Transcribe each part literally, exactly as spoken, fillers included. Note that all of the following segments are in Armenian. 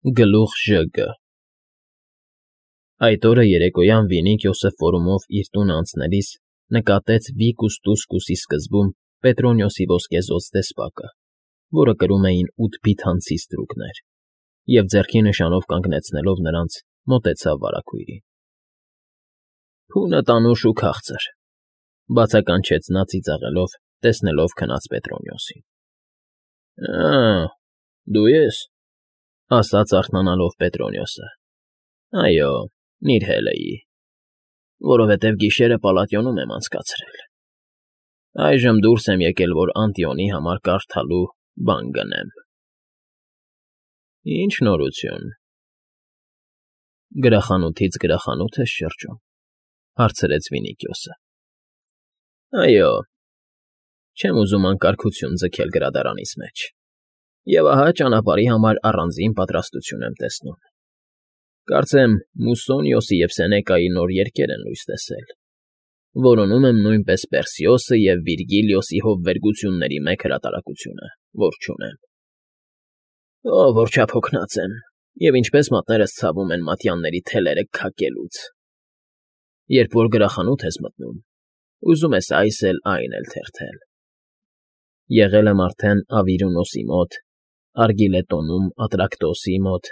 Գլուխ Ժ Գ Այդ օրը երեկոյան Վիլիկիոսը ֆորումով իր տունը անցնելիս նկատեց Վիկուս֊Տուսկուսի սկզբում Պետրոնիոսի ոսկեզօծ դեսպակը, որը կրում էին ութ բիթանցի ստրուկներ, և ձեռքի նշանով կանգնեցնելով նրանց, մոտեցավ վարագույրին։ ֊ Փունդ անուշ ու քաղցր,֊ բացականչեց նա ծիծաղելով, տեսնելով քնած Պետրոնիոսին։ ֊ Ա՜, դու ե՞ս,֊ ասաց արթնանալով Պետրոնիոսը։ ֊ Այո, Նիրհել էի, որովհետև գիշերը Պալատիոնում եմ անցկացրել, այժմ դուրս եմ եկել, որ Անտիոնի համար կարդալու բան գնեմ։ ֊ Ի՞նչ նորություն։ ֊ Գրախանութից գրախանութ ես շրջում,֊ հարցրեց Վիլիկիոսը։ ֊ Այո, չեմ ուզում անկարգություն ձգել գրադարանիս մեջ, և ահա ճանապարհի համար առանձին պատրաստություն եմ տեսնում։ Կարծեմ Մուսոնիոսի և Սենեկայի նոր երգեր են լույս տեսել, որոնում եմ նույնպես Պերսիոսը և Վիրգիլիոսի հովվերգությունների մեկ հրատարակությունը, որ չունեմ։ Ո՜վ որ չափ հոգնած եմ, և ինչպես մատներս ցավում են մատյանների թելերը քակելուց։ Երբ որ գրախանութ ես մտնում, ուզում ես այս էլ, այն էլ թերթել։ Եղել եմ արդեն Ավիրունոսի մոտ, Արգիլետոնում Ատրակտոսի մոտ,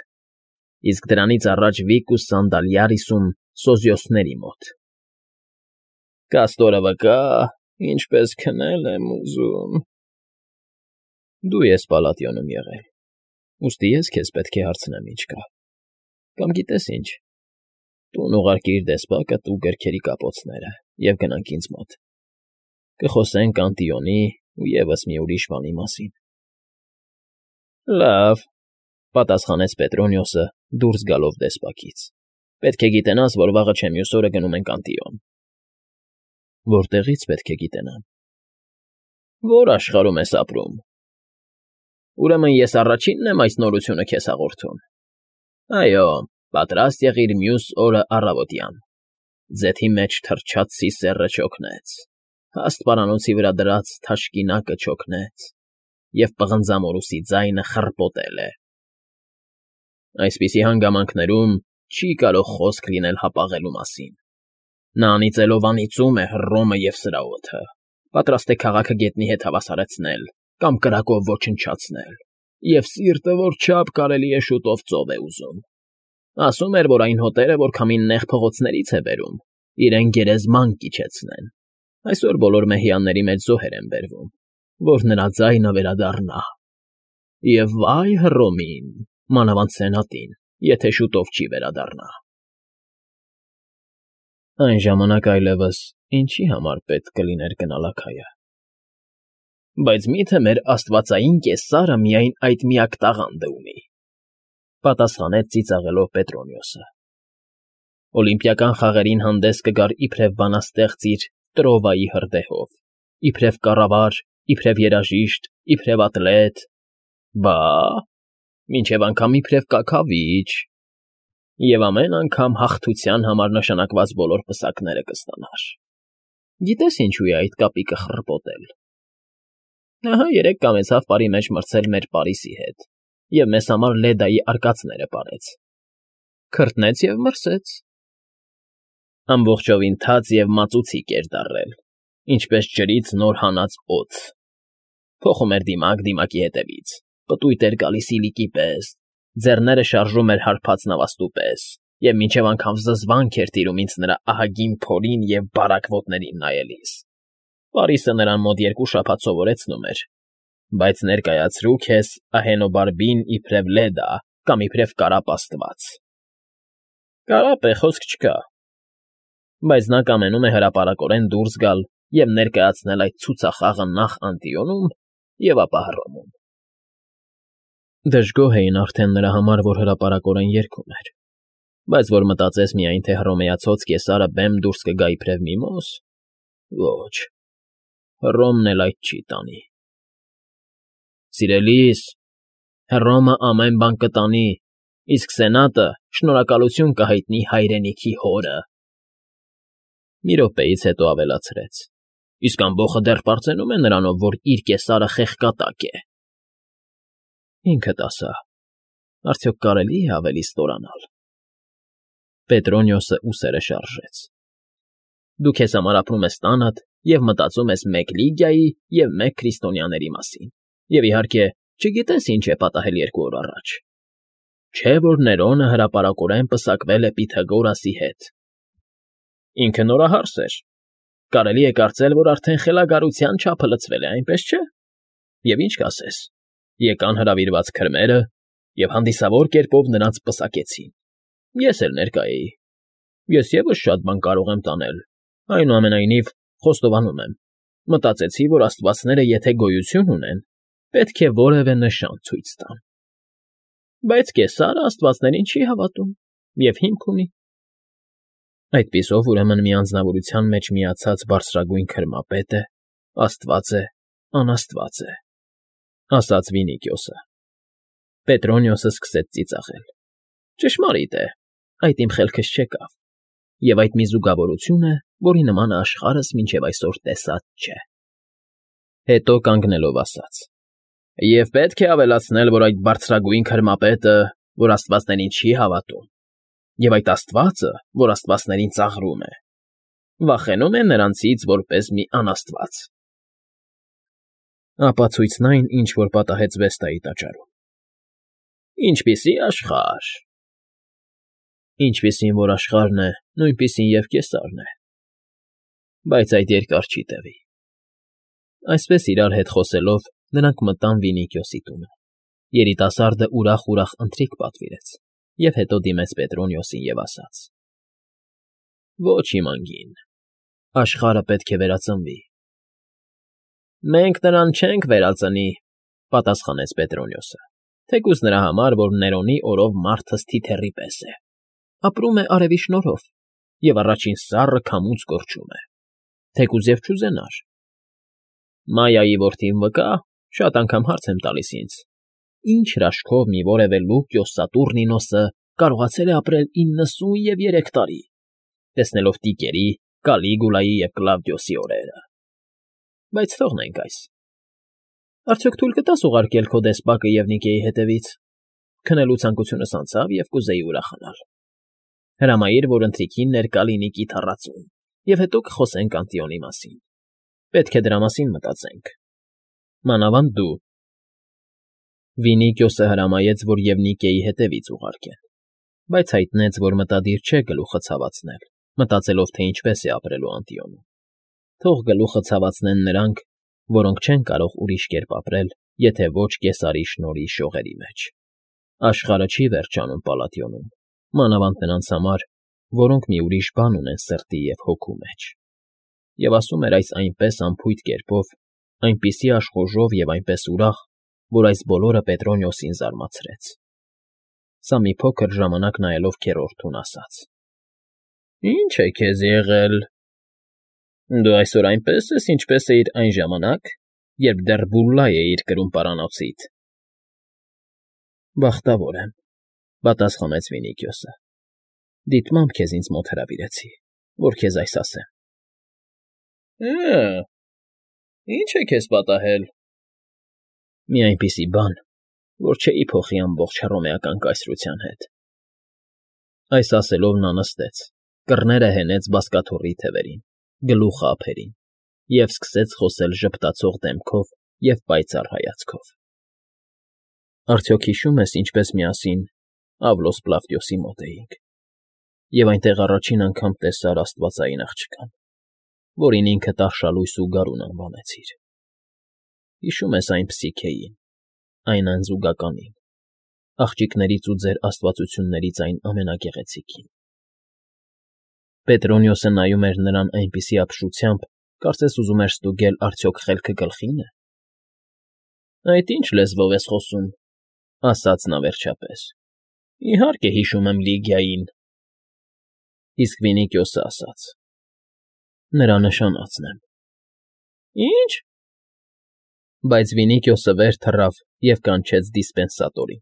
իսկ դրանից առաջ Վիկուս Սանդալիարիսում Սոզիոսների մոտ։ Կաստորը վկա, ինչպես քնել եմ ուզում։ Դու ես Պալատիոնում եղել, ուստի ես քեզ պետք է հարցնեմ ինչ կա, կամ գիտես ինչ, տուն ուղարկիր դեսպակդ ու գրքերի կապոցները և գնանք ինձ մոտ, կխոսենք Անտիոնի ու ևս մի ուրիշ բանի մասին։ ֊ Լավ,֊ պատասխանեց Պետրոնիոսը, դուրս գալով դեսպակից,֊ պետք է գիտենաս, որ վաղը չէ մյուս օրը գնում ենք Անտիոն։ ֊ Որտեղի՞ց պետք է գիտենամ։ ֊ Որ աշխարհում ես ապրում։ ֊ Ուրեմն ես առաջինն եմ այս նորությունը քեզ հաղորդում։ ֊ Այո, պատրաստ եղիր մյուս օրը առավոտյան, ձեթի մեջ թռչացի սեռը չօգնեց, հաստ պարանոցի վրա դրած թաշկինակը չօգնեց, և պղնձամորուսի ձայնը խռպոտել է։ Այսպիսի հանգամանքներում չի կարող խոսք լինել հապաղելու մասին։ Նա անիծելով անիծում է Հռոմը և սրա օդը, պատրաստ է քաղաքը գետնի հետ հավասարեցնել կամ կրակով ոչնչացնել, և սիրտը որ չափ կարելի է շուտով ծով է ուզում։ Ասում էր, որ այն հոտերը, որ քամին նեղ փողոցներից է բերում, իրեն գերեզման կիջեցնեն։ Այսօր բոլոր մեհյանների մեջ զոհեր են բերվում, որ նրա ձայնը վերադառնա։ Եվ վայ Հռոմին, մանավանդ Սենատին, եթե շուտով չի վերադառնա։ Այն ժամանակ այլևս ինչի համար պետք կլիներ գնալ Աքայա։ Բայց մի՞թե մեր աստվածային կեսարը միայն այդ միակ տաղանդը ունի,֊ պատասխանեց ծիծաղելով Պետրոնիոսը։ Օլիմպիական խաղերին հանդես կգար իբրև բանաստեղծ իր Տրովայի հրդեհով, իբրև կառավար, իբրև երաժիշտ, իբրև ատլետ, բա՜, մինչև անգամ իբրև կաքավիչ, և ամեն անգամ հաղթության համար նշանակված բոլոր պսակները կստանար։ Գիտես ինչու է այդ կապիկը խռպոտել։ Ահա երեկ կամեցավ պարի մեջ մրցել մեր Պարիսի հետ և մեզ համար Լեդայի արկածները պարեց։ Քրտնեց և մրսեց։ Ամբողջովին թաց և մածուցիկ էր դառել, ինչպես ջրից նոր հանած օձ։ Փոխում էր դիմակ դիմակի հետևից, պտույտ էր գալիս իլիկի պես, ձեռները շարժում էր հարբած նավաստու պես, և մինչև անգամ զզվանք էր տիրում ինձ նրա ահագին փորին և բարակ ոտներին նայելիս։ Պարիսը նրան մոտ երկու շաբաթ սովորեցնում էր, բայց ներկայացրու քեզ Ահենոբարբին իբրև Լեդա կամ իբրև կարապ աստված։ Կարապ է, խոսք չկա, բայց նա կամենում է հրապարակորեն դուրս գալ և ներկայացնել այդ ցուցախաղը նախ Անտիոնում և ապա Հռոմում։ Դժգոհ էին արդեն նրա համար, որ հրապարակորեն երգում էր, բայց որ մտածես միայն, թե հռոմեացած կեսարը բեմ դուրս կգա իբրև միմոս, ոչ, Հռոմն էլ այդ չի տանի։ Սիրելի՛ս, Հռոմը ամեն բան կտանի, իսկ Սենատը շնորհակալություն կհայտնի հայրենիքի հորը։ Մի րոպեից հետո ավելացրեց. Իսկ ամբոխը դեռ պարծենում է նրանով, որ իր կեսարը խեղկատակ է։ Ինքդ ասա, Արդյոք կարելի է ավելի ստորանալ։ Պետրոնիոսը ուսերը շարժեց։ Դու քեզ համար ապրում ես տանդ և մտածում ես մեկ Լիգիայի և մեկ քրիստոնյաների մասին, և, իհարկե, չգիտես ինչ է պատահել երկու օր առաջ։ Չէ՞ որ Ներոնը հրապարակորեն պսակվել է Պյութագորասի հետ։ Ինքը նորահարս էր։ Կարելի է կարծել, որ արդեն խելագարության չափը լցվել է, այնպես չէ՞։ Եվ ինչ կասես, եկան հրավիրված քրմերը և հանդիսավոր կերպով նրանց պսակեցին։ Ես էլ ներկա էի։ Ես ևս շատ բան կարող եմ տանել, այնուամենայնիվ խոստովանում եմ, մտածեցի, որ աստվածները եթե գոյություն ունեն, պետք է որևէ նշան ցույց տան։ Բայց Կեսարը աստվածներին չի հավատում և հիմք ունի։ Այդպիսով, ուրեմն մի անձնավորության մեջ միացած բարձրագույն քրմապետը աստված է, անաստված է, ասաց Վինիքիոսը։ Պետրոնիոսը սկսեց ծիծաղել։ Ճշմարիտ է, այդ իմ խելքս չեկավ, և այդ մի զուգավորություն է, որի նմանը աշխարհս մինչև այսօր տեսած չէ։ Հետո կանգնելով ասաց. Եվ պետք է ավելացնել, որ այդ բարձրագույն քրմապետը, որ աստվածներին չի հավատում, և այդ աստվածը, որ աստվածներին ծաղրում է, վախենում է նրանցից որպես մի անաստված։ Ապացույցն այն, ինչ որ պատահեց Վեստայի տաճարում։ Ինչպիսի աշխարհ։ Ինչպիսին որ աշխարհն է, նույնպիսին և Կեսարն է։ Բայց այդ երկար չի տևի։ Այսպես իրար հետ խոսելով, նրանք մտան Վինիքիոսի տունը։ Երիտասարդը ուրախ֊ուրախ ընթրիք պատվիրեց և հետո դիմեց Պետրոնիոսին և ասաց. Ոչ իմ անգին, աշխարհը պետք է վերածնվի։ Մենք նրան չենք վերածնի, պատասխանեց Պետրոնիոսը, թեկուզ նրա համար, որ Ներոնի օրով մարդս թիթեռի պես է, ապրում է արևի շնորհով և առաջին սառը քամուց կորչում է, թեկուզ և չուզենար։ Մայայի որդին վկա, շատ անգամ հարց եմ տալիս ինձ. Ինչ հրաշքով մի որևէ Լուկիոս Սատուրնինոսը կարողացել է ապրել իննսուն և երեք տարի, տեսնելով Տիկերի, Կալիգուլայի և Կլավդիոսի օրերը։ Բայց թողնենք այս։ Արդյոք թույլ կտա՞ս ուղարկել քո դեսպակը և Նիկեի հետևից։ Քնելու ցանկությունս անցավ և կուզեի ուրախանալ։ Հրամայիր, որ ընթրիքին ներկա լինի կիթառածուն, և հետո կխոսենք Անտիոնի մասին։ Պետք է դրա մասին մտածենք։ Մանավանդ դու։ Վինիքիոսը հրամայեց, որ և Նիկեի հետևից ուղարկեն, բայց հայտնեց, որ մտադիր չէ գլուխը ցավացնել, մտածելով, թե ինչպես է ապրելու Անտիոնում։ Թող գլուխը ցավացնեն նրանք, որոնք չեն կարող ուրիշ կերպ ապրել, եթե ոչ Կեսարի շնորհի շողերի մեջ։ Աշխարհը չի վերջանում Պալատիոնում, մանավանդ նրանց համար, որոնք մի ուրիշ բան ունեն սրտի և հոգու մեջ։ Եվ ասում էր այս այնպես անփույթ կերպով, այնպիսի աշխուժով և այնպես ուրախ, որ այս բոլորը Պետրոնիոսին զարմացրեց։ Սա մի փոքր ժամանակ նայելով քեռորդուն ասաց. Ի՞նչ է քեզ եղել։ Դու այսօր այնպես ես, ինչպես էիր այն ժամանակ, երբ դեռ Բուլլայ էիր կրում պարանոցիդ։ Բախտավոր եմ, պատասխանեց Վինիքիոսը։ Դիտմամբ քեզ ինձ մոտ հրավիրեցի, որ քեզ այս ասեմ։ Է՜, ի՞նչ է քեզ պատահել։ Մի այնպիսի բան, որ չէի փոխի ամբողջ հռոմեական կայսրության հետ։ Այս ասելով նա նստեց, կռները հենեց բազկաթոռի թևերին, գլուխը ափերին և սկսեց խոսել ժպտացող դեմքով և պայծառ հայացքով։ Արդյոք հիշում ես, ինչպես միասին Ավլոս Պլավդիոսի մոտ էինք, և այնտեղ առաջին անգամ տեսար աստվածային աղջկան, որին ինքդ արշալույս ու գարուն անվանեցիր։ Հիշում ես այն Փսիքեին, այն անզուգականին, աղջիկներից ու ձեր աստվածություններից այն ամենագեղեցիկին։ Պետրոնիոսը նայում էր նրան այնպիսի ապշությամբ, կարծես ուզում էր ստուգել արդյոք խելքը գլխի՞ն է։ Այդ ի՞նչ լեզվով ես խոսում, ասաց նա վերջապես։ Իհարկե հիշում եմ Լիգիային։ Իսկ Վինիքիոսը ասաց. Նրա նշանածն եմ։ Ի՞նչ։ Բայց Վինիքիոսը վեր թռավ և կանչեց դիսպենսատորին։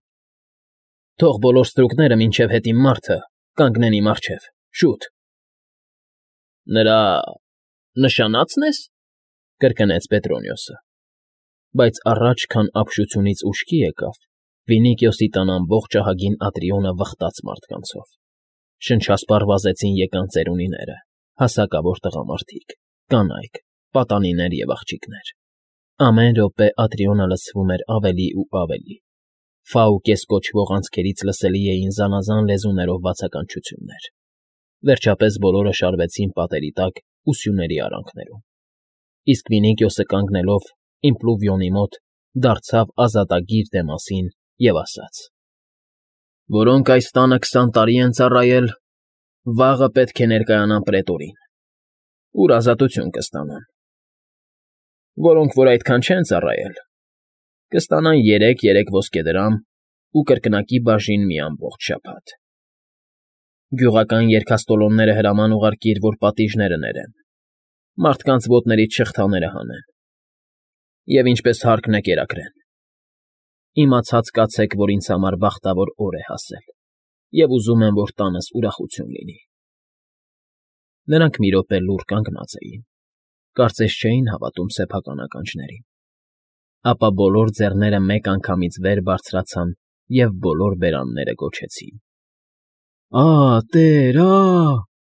Թող բոլոր ստրուկները մինչև հետ իմ մարդը կանգնեն իմ առջև, շուտ։ Նրա նշանա՞ցն ես, կրկնեց Պետրոնիոսը, բայց առաջ, քան ապշությունից ուշքի եկավ, Վինիքիոսի տան ամբողջ ահագին Ատրիոնը վխտաց մարդկանցով. շնչասպառ վազեցին եկան ծերունիները, հասակավոր տղամարդիկ, կանայք, պատանիներ և աղջիկներ. ամեն րոպե Ատրիոնը լցվում էր ավելի ու ավելի. Ֆաուկես կոչվող անցքերից լսելի էին զանազան լեզուներով բացականչություններ. վերջապես բոլորը շարվեցին պատերի տակ ու սյուների արանքներում, իսկ Վինիքիոսը կանգնելով իմպլուվիոնի մոտ դարձավ ազատագիր Դեմասին և ասաց. «Որոնք այս տանը քսան տարի են ծառայել, վաղը պետք է ներկայանան պրետորին, ուր ազատություն կստանան. որոնք որ այդքան չեն ծառայել, կստանան երեք֊երեք ոսկեդրամ ու կրկնակի բաժին մի ամբողջ շաբաթ։ Գյուղական երգաստոլոնները հրաման ուղարկիր, որ պատիժները ներեն, մարդկանց ոտներից շղթաները հանեն և ինչպես հարկն է կերակրեն։ Իմացած կացեք, որ ինձ համար բախտավոր օր է հասել, և ուզում եմ, որ տանս ուրախություն լինի»։ Նրանք մի րոպե լուռ կանգնած էին, կարծես չէին հավատում սեփական ականջներին, ապա բոլոր ձեռները մեկ անգամից վեր բարձրացան և բոլոր բերանները գոչեցին. «Ա՜, տեր, ա՜»։